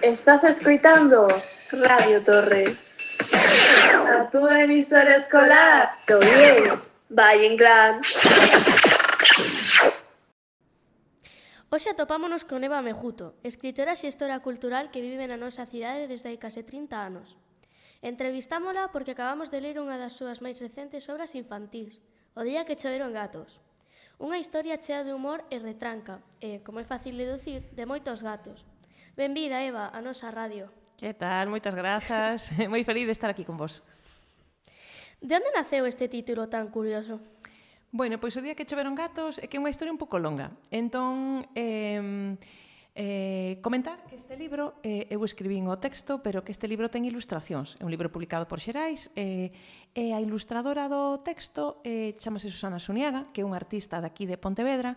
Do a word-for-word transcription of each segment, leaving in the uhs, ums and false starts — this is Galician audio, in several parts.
Estás escoitando Radio Torre, a túa emisora escolar do IES Valle Inclán. Hoxe atopámonos con Eva Mejuto, escritora e xestora cultural que vive na nosa cidade desde hai case trinta anos. Entrevistámola porque acabamos de ler unha das súas máis recentes obras infantís, O día que choveron gatos. Unha historia chea de humor e retranca, e, como é fácil deducir, de moitos gatos. Benvida, Eva, a nosa radio. Que tal? Moitas grazas. Moi feliz de estar aquí con vos. De onde naceu este título tan curioso? Bueno, pois O día que choveron gatos é que é unha historia un pouco longa. Entón, eh, eh, comentar que este libro, eh, eu escribín o texto, pero que este libro ten ilustracións. É un libro publicado por Xerais, eh, e a ilustradora do texto eh, chamase Susana Suniaga, que é unha artista daqui de Pontevedra,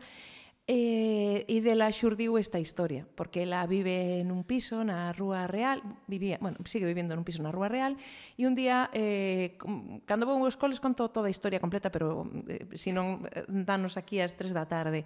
E, e dela xurdiu esta historia, porque ela vive nun piso na Rúa Real, vivía, bueno, sigue vivendo nun piso na Rúa Real, e un día, eh, cando vou aos coles, conto toda a historia completa, pero eh, se non danos aquí ás tres da tarde.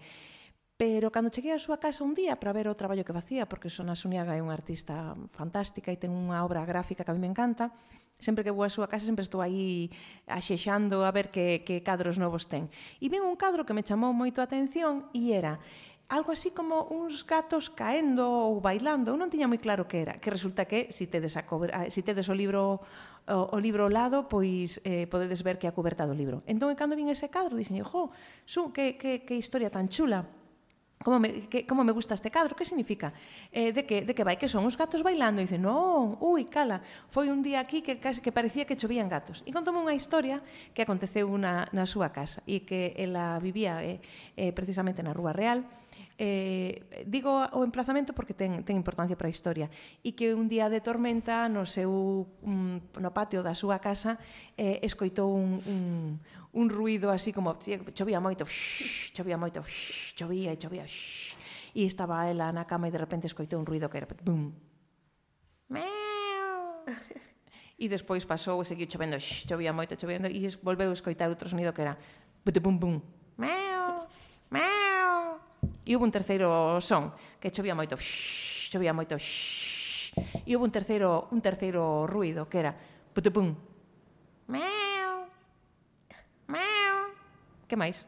Pero cando cheguei á súa casa un día para ver o traballo que facía, porque Susana Suniaga é unha artista fantástica e ten unha obra gráfica que a mí me encanta, sempre que vou á súa casa sempre estou aí axexando a ver que, que cadros novos ten. E vin un cadro que me chamou moito a atención e era algo así como uns gatos caendo ou bailando. Eu non tiña moi claro que era, que resulta que se tedes, a cober, si tedes o libro o, o libro ao lado, pois eh, podedes ver que é a coberta do libro. Entón, cando vin ese cadro, dixen, jo, su, que, que, que historia tan chula. Como me, que, como me gusta este cadro, que significa? Eh, de, que, de que vai, que son os gatos bailando? E dice, non, ui, cala, foi un día aquí que, que parecía que chovían gatos. E contoume unha historia que aconteceu na, na súa casa e que ela vivía eh, eh, precisamente na Rúa Real. Eh, digo o emplazamento porque ten, ten importancia para a historia, e que un día de tormenta no seu um, no patio da súa casa eh, escoitou un, un, un ruido así como chovía moito, shh, chovía moito, shh, chovía e chovía, shh, e estaba ela na cama e de repente escoitou un ruido que era bum, meow. E despois pasou e seguiu chovendo, shh, chovía moito, chovendo, e volveu a escoitar outro sonido que era bum bum, meow, meow. E houve un terceiro son, que chovía moito, shhh, chovía moito, shhh. E houve un terceiro, un terceiro ruido, que era putupum, meow, meow. Que máis?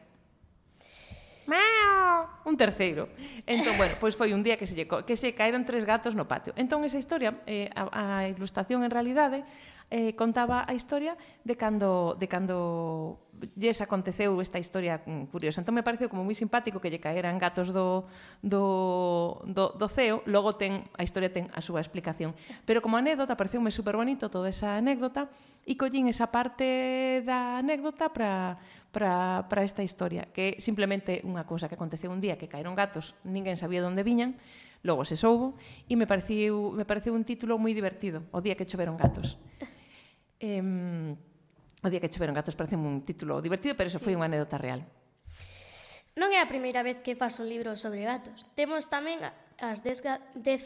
Meow, un terceiro. Entón, bueno, pois foi un día que se, lle, que se caeron tres gatos no patio. Entón, esa historia, eh, a, a ilustración en realidade, eh, contaba a historia de cando, de cando lles aconteceu esta historia curiosa. Entón me pareceu como moi simpático que lle caeran gatos do, do, do, do ceo, logo ten, a historia ten a súa explicación. Pero como anécdota, pareceume super bonito toda esa anécdota, e collín esa parte da anécdota para para, para esta historia, que é simplemente unha cousa que aconteceu un día, que caeron gatos, ninguén sabía onde viñan, logo se soubo, e me pareceu, me pareceu un título moi divertido, O día que choveron gatos. Eh, o día que choveron gatos parece un título divertido, pero eso sí. Foi unha anécdota real. Non é a primeira vez que faz un libro sobre gatos. Temos tamén as dez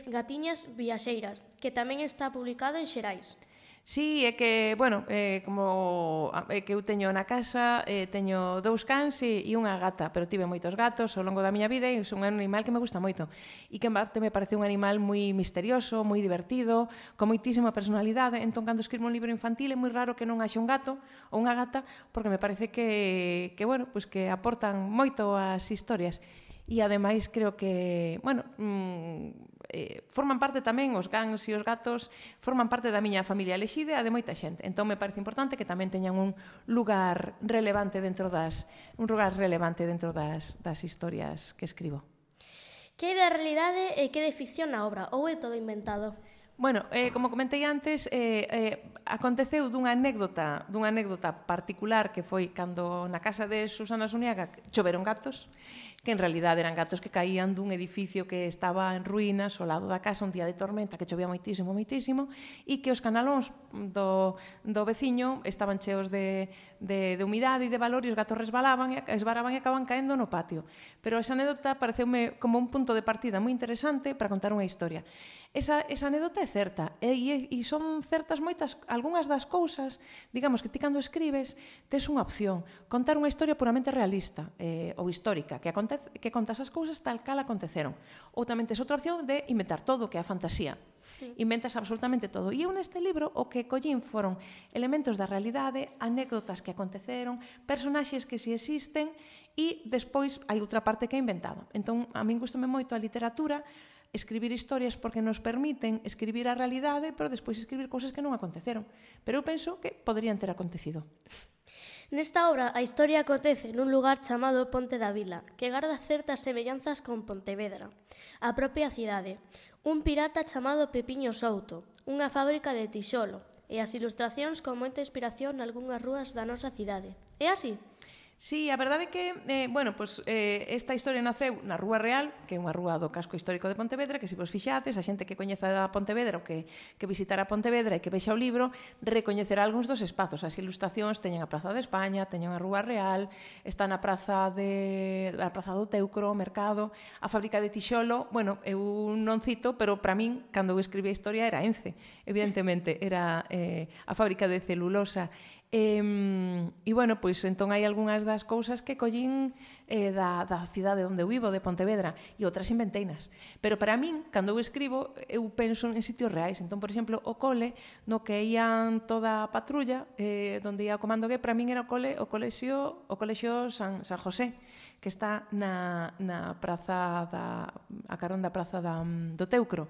gatiñas viaxeiras, que tamén está publicado en Xerais. Sí, é que, bueno, eh, como é que eu teño na casa, eh, teño dous cans e, e unha gata, pero tive moitos gatos ao longo da miña vida e é un animal que me gusta moito. E que en parte me parece un animal moi misterioso, moi divertido, con moitísima personalidade. Entón, cando escribo un libro infantil é moi raro que non haxe un gato ou unha gata, porque me parece que, que bueno, pues que aportan moito ás historias. E ademais creo que, bueno, mmm, eh, forman parte tamén os cans e os gatos, forman parte da miña familia elexida e de moita xente. Entón me parece importante que tamén teñan un lugar relevante dentro das un lugar relevante dentro das das historias que escribo. Que é da realidade e que de ficción na obra, ou é todo inventado? Bueno, eh, como comentei antes, eh, eh, aconteceu dunha anécdota, dunha anécdota particular que foi cando na casa de Susana Suniaga choveron gatos, que en realidade eran gatos que caían dun edificio que estaba en ruínas ao lado da casa un día de tormenta, que chovía moitísimo, moitísimo, e que os canalóns do, do veciño estaban cheos de, de, de humidade e de valor e os gatos resbalaban e esbaraban e acaban caendo no patio. Pero esa anécdota pareceume como un punto de partida moi interesante para contar unha historia. Esa, esa anécdota é certa e, e son certas moitas, algunhas das cousas, digamos que ti cando escribes tes unha opción, contar unha historia puramente realista eh, ou histórica, que acontece acontece, que contas as cousas tal cal aconteceron. Ou tamén tes outra opción de inventar todo, que é a fantasía. Inventas absolutamente todo. E eu neste libro o que collín foron elementos da realidade, anécdotas que aconteceron, personaxes que si existen e despois hai outra parte que é inventada. Entón, a min gustame moito a literatura, escribir historias porque nos permiten escribir a realidade, pero despois escribir cousas que non aconteceron. Pero eu penso que poderían ter acontecido. Nesta obra, a historia acontece nun lugar chamado Ponte da Vila, que garda certas semellanzas con Pontevedra, a propia cidade, un pirata chamado Pepiño Souto, unha fábrica de tixolo, e as ilustracións con moita inspiración nalgunhas rúas da nosa cidade. É así? Sí, a verdade é que, eh, bueno, pues, eh, esta historia naceu na Rúa Real, que é unha rúa do casco histórico de Pontevedra, que se vos fixates, a xente que coñeza a Pontevedra ou que, que visitará Pontevedra e que vexa o libro, recoñecerá algúns dos espazos. As ilustracións teñen a Praza de España, teñen a Rúa Real, está na Praza de a Praza do Teucro, o Mercado, a fábrica de tixolo. Bueno, eu non cito, pero para min, cando eu escribí a historia, era Ence, evidentemente, era eh, a fábrica de celulosa. E, e bueno, pois entón hai algunhas das cousas que collín eh, da, da cidade onde eu vivo, de Pontevedra, e outras inventeinas. Pero para min, cando eu escribo, eu penso en sitios reais. Entón, por exemplo, o cole, no que ían toda a patrulla, eh, onde ia o comando que, para min era o cole, o colexio, o colexio San, San José, que está na, na praza da, a carón da praza da, do Teucro.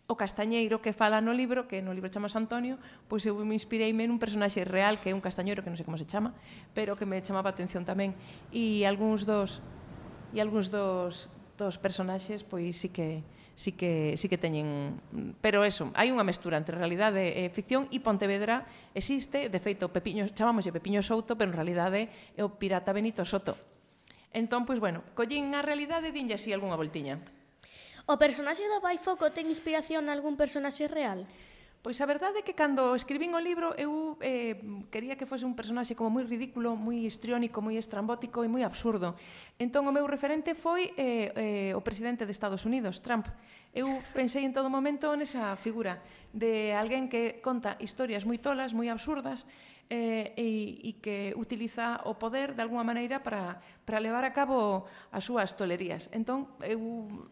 O castañeiro que fala no libro, que no libro chama Antonio, pois eu me inspireime nun personaxe real, que é un castañeiro que non sei como se chama, pero que me chamaba a atención tamén. E algúns dos e algúns dos dos personaxes pois sí que sí que sí que teñen, pero eso, hai unha mestura entre realidade e ficción, e Pontevedra existe, de feito Pepiño, chamámoslle Pepiño Souto, pero en realidade é o pirata Benito Soto. Entón, pois bueno, collín a realidade e dinlle así algunha voltiña. O personaxe do Baifoco ten inspiración nalgún personaxe real? Pois a verdade é que cando escribín o libro eu eh, quería que fose un personaxe como moi ridículo, moi histriónico, moi estrambótico e moi absurdo. Entón o meu referente foi eh, eh, o presidente de Estados Unidos, Trump. Eu pensei en todo momento nesa figura de alguén que conta historias moi tolas, moi absurdas, eh, e, e que utiliza o poder de alguma maneira para, para levar a cabo as súas tolerías. Entón, eu,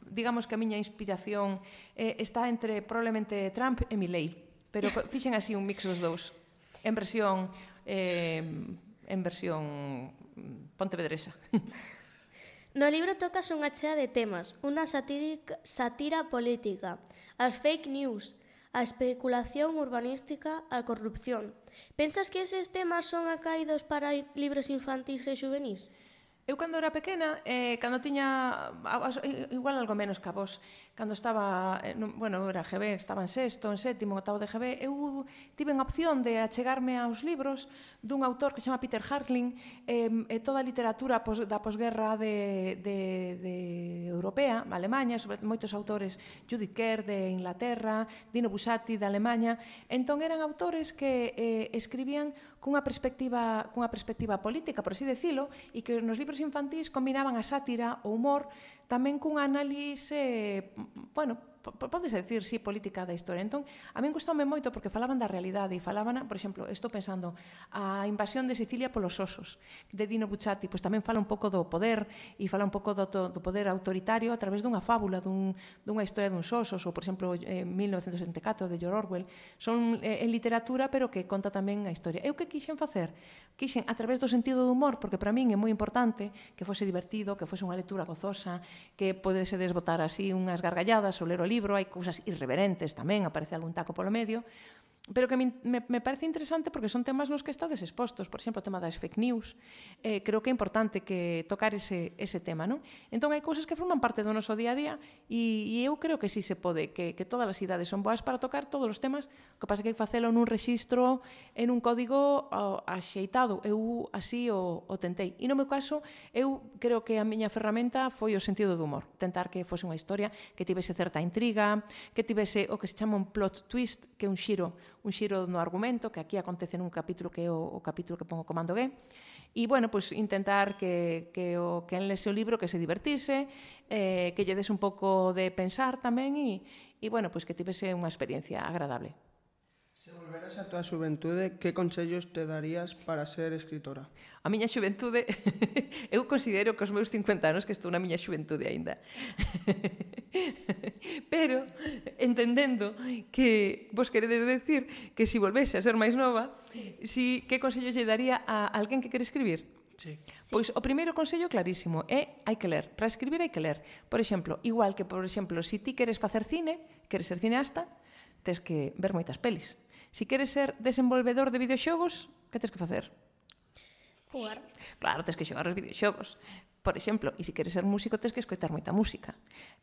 digamos que a miña inspiración eh, está entre probablemente Trump e Milei, pero fixen así un mix dos dous, en versión eh, en versión pontevedresa. No libro tocas unha chea de temas, unha satírica, satira política, as fake news, a especulación urbanística, a corrupción. Pensas que eses temas son acaídos para libros infantís e juvenís? Eu, cando era pequena, eh, cando tiña, igual algo menos que a vos, cando estaba, eh, bueno, eu era G B, estaba en sexto, en sétimo, octavo de G B, eu tive a opción de achegarme aos libros dun autor que se chama Peter Harling, eh, e toda a literatura pos, da posguerra de, de, de europea, Alemanha, sobre moitos autores, Judith Kerr de Inglaterra, Dino Buzzati de Alemanha. Entón eran autores que eh, escribían cunha perspectiva, cunha perspectiva política, por así decilo, e que nos libros infantís combinaban a sátira, o humor, tamén cun análise, bueno, podese decir, sí, política da historia. Entón, a min gustoume moito porque falaban da realidade e falaban, por exemplo, estou pensando, a invasión de Sicilia polos osos, de Dino Buzzati, pois tamén fala un pouco do poder e fala un pouco do, do poder autoritario a través dunha fábula, dun, dunha historia duns osos, ou, por exemplo, eh, mil novecentos setenta e catro de George Orwell. Son eh, en literatura, pero que conta tamén a historia. Eu que quixen facer? Quixen, a través do sentido do humor, porque para min é moi importante que fose divertido, que fose unha lectura gozosa, que podese desbotar así unhas gargalladas ou ler o libro, hai cousas irreverentes tamén, aparece algún taco polo medio, pero que me, me parece interesante porque son temas nos que estades expostos. Por exemplo, o tema das fake news, eh, creo que é importante que tocar ese, ese tema, non? Entón, hai cousas que forman parte do noso día a día e, e eu creo que sí se pode, que, que todas as idades son boas para tocar todos os temas, o que pasa que hai que facelo nun rexistro, en un código oh, axeitado. Eu así o, o tentei. E no meu caso, eu creo que a miña ferramenta foi o sentido do humor. Tentar que fose unha historia que tivese certa intriga, que tivese o que se chama un plot twist, que é un xiro un xiro no argumento, que aquí acontece nun capítulo que é o, o capítulo que pongo comando G. E, bueno, pois intentar que, que o que en lese o libro que se divertise, eh, que lle des un pouco de pensar tamén e, e bueno, pois que tivese unha experiencia agradable. Se volveras a tua xuventude, que consellos te darías para ser escritora? A miña xuventude, eu considero que os meus cincuenta anos que estou na miña xuventude aínda. Pero, entendendo que vos queredes decir que se volvese a ser máis nova, si, que consello lle daría a alguén que quere escribir? Sí. Pois o primeiro consello clarísimo é hai que ler. Para escribir hai que ler. Por exemplo, igual que, por exemplo, se ti queres facer cine, queres ser cineasta, tes que ver moitas pelis. Se queres ser desenvolvedor de videoxogos, que tes que facer? Jugar. Claro, tes que xogar os videoxogos. Por exemplo, e se queres ser músico, tes que escoitar moita música.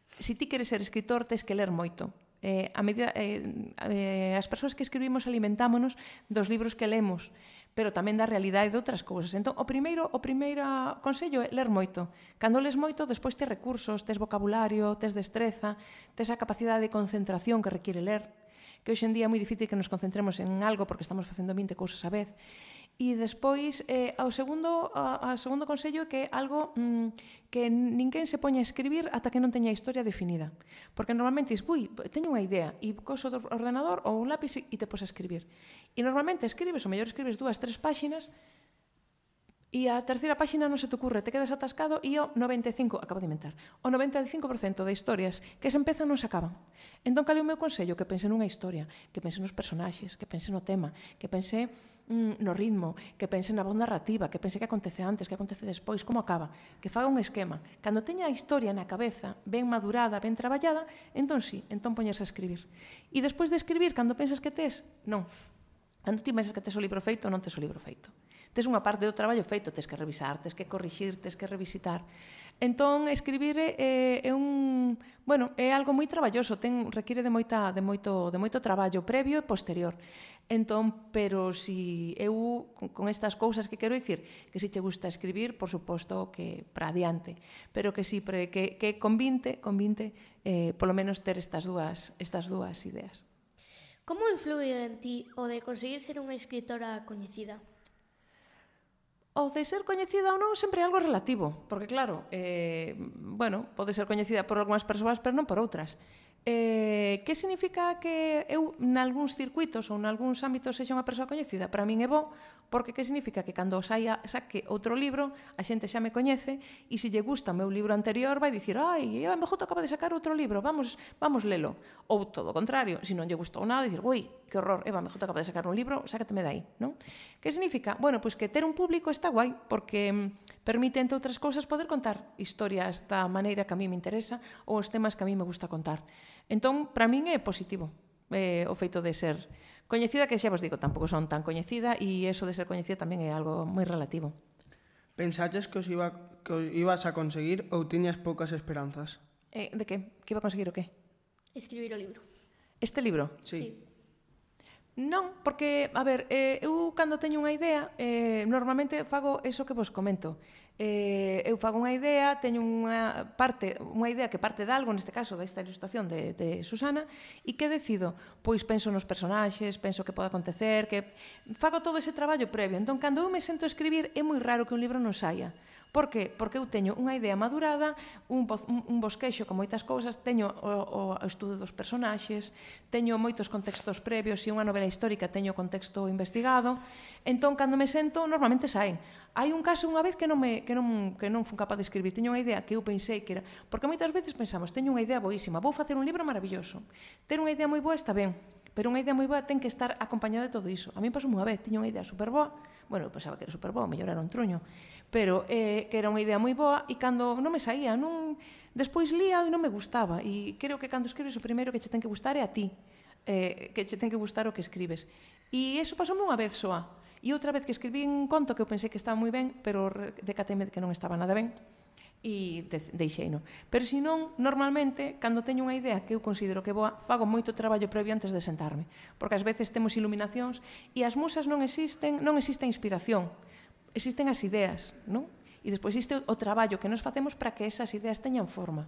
Se ti queres ser escritor, tes que ler moito. Eh, a medida, eh, eh, as persoas que escribimos alimentámonos dos libros que lemos, pero tamén da realidade de outras cousas. Entón, o primeiro, o primeiro consello é ler moito. Cando les moito, despois tes recursos, tes vocabulario, tes destreza, tes a capacidade de concentración que requiere ler, que hoxe en día é moi difícil que nos concentremos en algo porque estamos facendo vinte cousas a vez. E despois, eh, ao segundo, a, a segundo consello é que algo mm, que ninguén se poña a escribir ata que non teña a historia definida. Porque normalmente dis, ui, teño unha idea, e coso do ordenador ou un lápiz e te pos a escribir. E normalmente escribes, o mellor escribes dúas, tres páxinas, e a terceira páxina non se te ocurre, te quedas atascado e o noventa e cinco, acabo de inventar, o noventa e cinco por cento de historias que se empezan non se acaban. Entón, cal é o meu consello? Que pense nunha historia, que pense nos personaxes, que pense no tema, que pense mm, no ritmo, que pense na voz narrativa, que pense que acontece antes, que acontece despois, como acaba, que faga un esquema. Cando teña a historia na cabeza ben madurada, ben traballada, entón sí, entón poñerse a escribir. E despois de escribir, cando pensas que tes, non. Cando ti pensas que tes o libro feito, non tes o libro feito. Tes unha parte do traballo feito, tes que revisar, tes que corrixir, tes que revisitar. Entón, escribir é, é un, bueno, é algo moi traballoso, ten requiere de moita de moito de moito traballo previo e posterior. Entón, pero si eu con, con estas cousas que quero dicir, que si che gusta escribir, por suposto que para adiante, pero que si pre, que que con vinte, con vinte eh polo menos ter estas dúas estas dúas ideas. Como influe en ti o de conseguir ser unha escritora coñecida? O de ser coñecida ou non sempre é algo relativo, porque claro, eh, bueno, pode ser coñecida por algunhas persoas, pero non por outras. Eh, que significa que eu nalgúns circuitos ou nalgúns ámbitos sexa unha persoa coñecida? Para min é bo, porque que significa que cando saia, saque outro libro, a xente xa me coñece e se lle gusta o meu libro anterior vai dicir, ai, Eva M J acaba de sacar outro libro, vamos, vamos lelo. Ou todo o contrario, se non lle gustou nada, dicir, ui, que horror, Eva M J acaba de sacar un libro, sácateme dai, non? Que significa? Bueno, pois que ter un público está guai, porque permite, entre outras cousas, poder contar historias da maneira que a mí me interesa ou os temas que a mí me gusta contar. Entón, para min é positivo eh, o feito de ser coñecida, que xa vos digo, tampouco son tan coñecida e eso de ser coñecida tamén é algo moi relativo. Pensaches que os, iba, que os ibas a conseguir ou tiñas poucas esperanzas? Eh, de que? Que iba a conseguir o que? Escribir o libro. Este libro? Sí. Sí. Non, porque, a ver, eh, eu cando teño unha idea, eh, normalmente fago eso que vos comento. Eh, eu fago unha idea, teño unha parte, unha idea que parte de algo, neste caso desta ilustración de, de Susana, e que decido? Pois penso nos personaxes, penso que pode acontecer, que fago todo ese traballo previo. Entón, cando eu me sento a escribir, é moi raro que un libro non saia. Por que? Porque eu teño unha idea madurada, un, un, un bosquexo con moitas cousas, teño o, o estudo dos personaxes, teño moitos contextos previos, se unha novela histórica teño contexto investigado, entón, cando me sento, normalmente saen. Hai un caso unha vez que non, me, que non, que non fun capaz de escribir, teño unha idea que eu pensei que era... Porque moitas veces pensamos, teño unha idea boísima, vou facer un libro maravilloso. Ter unha idea moi boa está ben, pero unha idea moi boa ten que estar acompañada de todo iso. A mí pasou unha vez, tiña unha idea super boa, bueno, eu pensaba que era super boa, mellor era un truño, pero eh, que era unha idea moi boa e cando non me saía, non... despois lía e non me gustaba, e creo que cando escribes o primeiro que che ten que gustar é a ti, eh, que che ten que gustar o que escribes. E iso pasoume unha vez soa, e outra vez que escribí un conto que eu pensei que estaba moi ben, pero decateme que non estaba nada ben, e de, deixeino. Pero se non, normalmente, cando teño unha idea que eu considero que boa, fago moito traballo previo antes de sentarme, porque ás veces temos iluminacións e as musas non existen, non existe a inspiración, existen as ideas, non? E despois existe o traballo que nos facemos para que esas ideas teñan forma.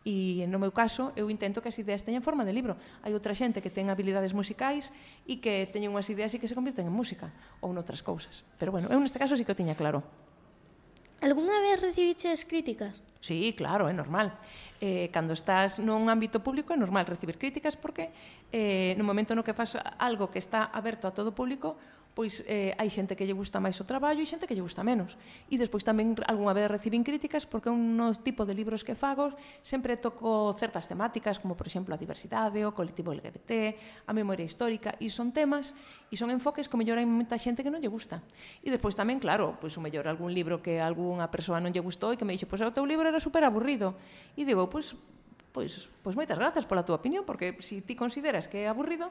E no meu caso, eu intento que as ideas teñan forma de libro. Hai outra xente que ten habilidades musicais e que teñen unhas ideas e que se convirten en música ou noutras cousas. Pero bueno, eu neste caso sí que o tiña claro. Algúnha vez recibiches críticas? Sí, claro, é normal. Eh, cando estás nun ámbito público é normal recibir críticas porque eh, no momento no que faz algo que está aberto a todo o público, pois eh, hai xente que lle gusta máis o traballo e xente que lle gusta menos. E despois tamén algunha vez recibín críticas porque un tipo de libros que fago sempre toco certas temáticas, como por exemplo a diversidade, o colectivo L G B T, a memoria histórica, e son temas e son enfoques que o mellor hai moita xente que non lle gusta. E despois tamén, claro, pois o mellor algún libro que algunha persoa non lle gustou e que me dixo, pois o teu libro era super aburrido. E digo, pois, pois, pois moitas grazas pola túa opinión, porque se ti consideras que é aburrido,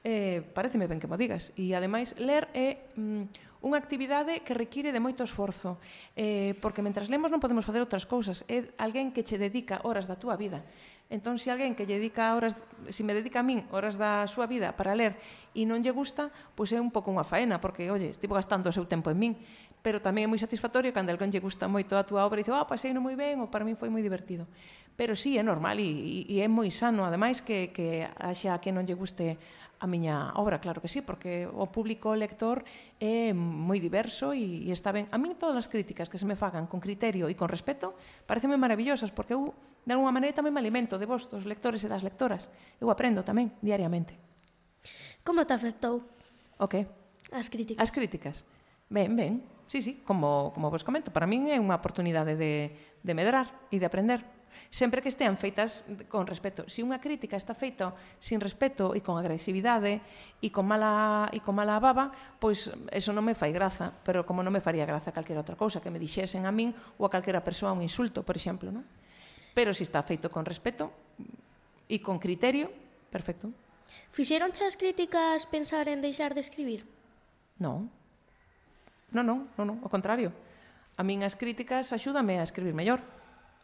eh, pareceme ben que mo digas. E, ademais, ler é mm, unha actividade que require de moito esforzo, eh, porque mentras lemos non podemos facer outras cousas. É alguén que che dedica horas da túa vida. Entón, se alguén que lle dedica horas, se me dedica a min horas da súa vida para ler e non lle gusta, pois é un pouco unha faena, porque, oye, estivo gastando o seu tempo en min. Pero tamén é moi satisfactorio cando alguén lle gusta moito a túa obra e dice, ah, paseino moi ben, ou para min foi moi divertido. Pero sí, é normal e, e é moi sano, ademais, que, que haxa que non lle guste a miña obra, claro que sí, porque o público lector é moi diverso e, e está ben. A min todas as críticas que se me fagan con criterio e con respeto pareceme maravillosas, porque eu, de alguma maneira, tamén me alimento de vos, dos lectores e das lectoras. Eu aprendo tamén, diariamente. Como te afectou O que? as críticas? As críticas? Ben, ben, sí, sí, como, como vos comento, para min é unha oportunidade de, de medrar e de aprender. Sempre que estean feitas con respeto. Se unha crítica está feita sin respeto e con agresividade e con mala e con mala baba, pois eso non me fai graza, pero como non me faría graza calquera outra cousa que me dixesen a min ou a calquera persoa un insulto, por exemplo, non? Pero se está feito con respeto e con criterio, perfecto. Fixeronche as críticas pensar en deixar de escribir? Non. Non, non, non, non, ao contrario. A min as críticas axúdame a escribir mellor.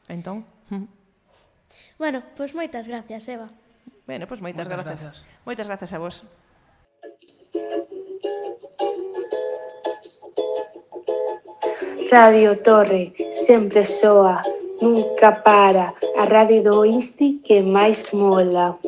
Entón, bueno, pois moitas gracias, Eva. Bueno, pois moitas grazas. Moitas grazas a vos. Radio Torre, sempre soa, nunca para, a radio do Insti que máis mola.